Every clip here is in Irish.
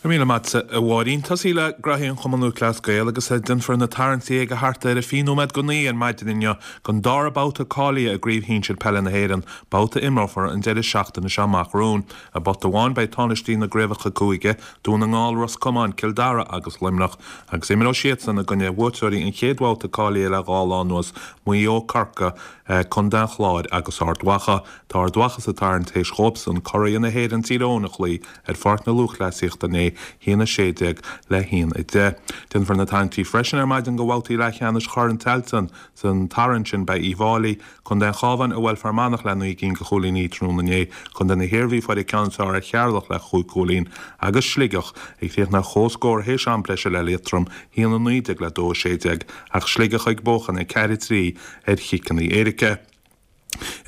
Go raibh míle maith agat, a Mháirín. Tosaí le graithí an Chumann Lúthchleas Gael agus déanfar na tarraingtí ag a thart ar 29 nóiméad ar maidin inniu don dara babhta cáilithe i gCraobh Shinsir Peile na hÉireann, babhta a imreofar an deireadh seachtaine seo amach romhainn. I bpota amháin beidh tánaistí na gcraobhacha cúige, Dún na nGall, Ros Comáin, Cill Dara agus Luimneach, agus imreoidh siadsan i gcoinne bhuaiteoirí an chéad bhabhta cáilithe le dhá lá anuas, Maigh Eo, Corcaigh, Contae an Chláir agus Ard Mhacha. Tá Ard Mhacha sa tarraingt théis dhóibhsan curaidh na hÉireann Tír Eoghain a chloí ar Pháirc na Lúthchleasaíochta inné, 1-16 le 1-10. Déanfar na tarraingtí freisin ar maidin do bhabhtaí leathcheannais Chorn Tailteann. San tarraingt sin beidh Uíbh Fháilí, Contae an Chabháin a bhuail Fear Manach le 9 gcinn de chúilíní tráthnóna inné, Contae na hIarmhí fuair an ceann is fearr ar Cheatharlach le chúig chúilín, agus Sligeach ag críochnú ar chomhscór théis am breise le Liatroim, 1-19 le 2-16, ach Sligeach ag buachan 4-3 ar chiceanna éirice.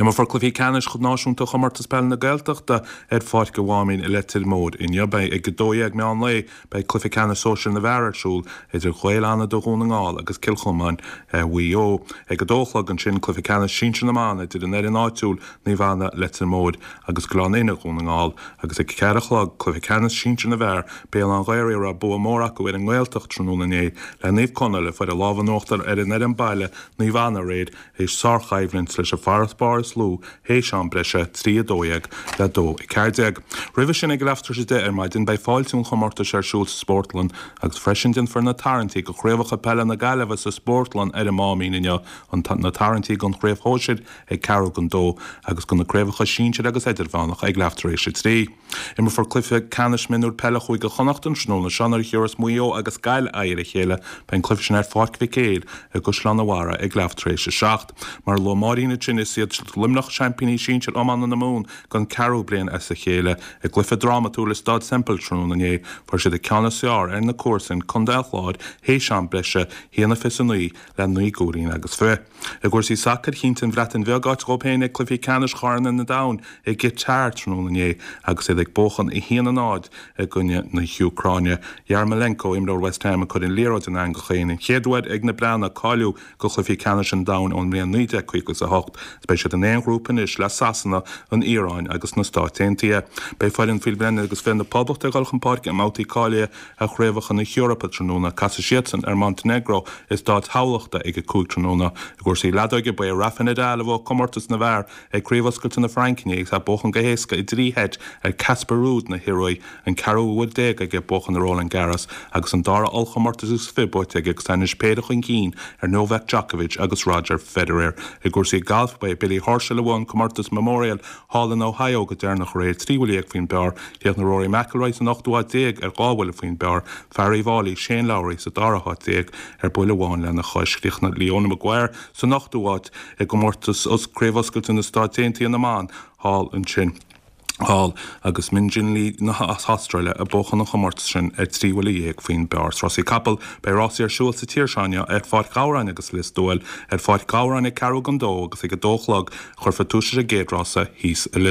Imreofar cluichí ceannais náisiúnta Chomórtas Peile na Gaeltachta ar Pháirc an Mháimín i Leitir Móir inniu. Beidh ag 12:00 meán lae beidh cluiche ceannais sóisir na bhfear ar siúl idir Gaeil Fhánada Dhún na nGall agus Cill Chomáin Mhaigh Eo. Ag 2 a chlog ansin cluiche ceannais sinsir na mban idir an fhoireann áitiúil Naomh Anna Leitir Móir agus Gleann Fhinne Dhún na nGall agus ag 4 a chlog cluiche ceannais sinsir na bhfear Béal Átha an Ghaorthaidh a raibh bua mór acu ar an nGaeltacht tráthnóna inné le Naomh Conaill a fuair an lámh in uachtar ar an fhoireann baile Naomh Anna aréir Théis sárchoimhlint leis an bhfarasbarr is lú théis am breise, 3, 12 le 2, 14. Roimhe sin ag leath tar éis 10 ar maidin beidh fáiltiú an chomórtais ar siúl sa Spórtlann agus freisin déanfar na tarraingtí do chraobhacha peile na Gaillimhe sa Spórtlann ar an Máimín inniu, na tarraingtí don chraobh shóisir ag ceathrú don dó agus do na craobhacha sinsir agus idirmheánach ag leath tar éis a trí. Imreofar cluiche ceannais mionúir peile Chúige Chonnacht an tráthnóna seo nuair a thiúrfas Maigh Eo agus Gaillimh aghaidh ar a chéile. Beidh an cluiche sin ar Pháirc Mhic Éil i gCaisleán an Bharraigh ag leath tar éis a 7. Mar a luaigh Máirín ansin, is iad Luimneach seaimpíní sinsir iomána na Mumhan don ceathrú bliain as a chéile. I gcluiche drámatúil i Staid Semple tráthnóna inné, fuair siad an ceann is fearr ar na comharsain, Contae an Chláir, théis am breise, 1-29 le naoi gcúilín agus fiche. I gcúrsaí sacair, chinntigh an Bhreatain Bheag áit dhóibh féin ag cluichí ceannais Chorn an Domhain i gCatar tráthnóna inné agus iad ag buachan 1-0 i gcoinne na hÚcráine. Yarmolenko, imreoir West Ham, ag cur an liathróid in eangach féin, an chéad uair ag na Breatnaigh cáiliú go chluichí ceannais an domhain ón mbliain 1958. Beidh siad in aon ghrúpa anois le Sasana, an Iaráin agus na Stáit Aontaithe. Beidh foireann faoi bhliain agus 20 na Poblachta ag dul chun páirce i mbabhtaí cáilithe ar Chraobhacha na hEorpa tráthnóna. Casfaidh siadsan ar Montenegro i Staid Thamhlachta ag 5 tráthnóna. I gcúrsaí leadóige, ba é Rafa Nadal a bhuaigh comórtas na bhfear ag Craobh Oscailte na Fraince inné agus é ag buachan go héasca i dtrí sheit ar Casper Ruud na hIoruaí, an ceathrú huair déag aige buachan ar Roland Garros agus an dara ollchomórtas is 20 buaite aige agus é anois péire chun cinn ar Novak Djokovic agus Roger Federer. I gcúrsaí gailf, ba é Billy Horschel a bhuaigh an comórtas Memorial thall in Ohio go deireanach aréir, 13 bhuille faoin bpar. Chríochnaigh Rory McIlroy san ochtú háit déag ar dhá bhuille faoin bpar, fear Uíbh Fháilí, Shane Lowry, sa dara háit déag ar buille amháin lena chois. Chríochnaigh Leona Maguire san ochtú háit i gcomórtas Craobh Oscailte na Stáit Aontaithe na mBan thall ansin thall agus Min Jin Lee na hAstráile ag buachan an chomórtais sin ar 13 bhuille faoin bpar. Sna rásaí capall, beidh rásaí ar siúl sa tír seo inniu ar Pháirc Ghabhráin agus Lios Tuathail, ar Pháirc Ghabhráin ag ceathrú don dó agus ag a dó a chlog a chuirfear tús leis an gcéad rása thíos i Lios.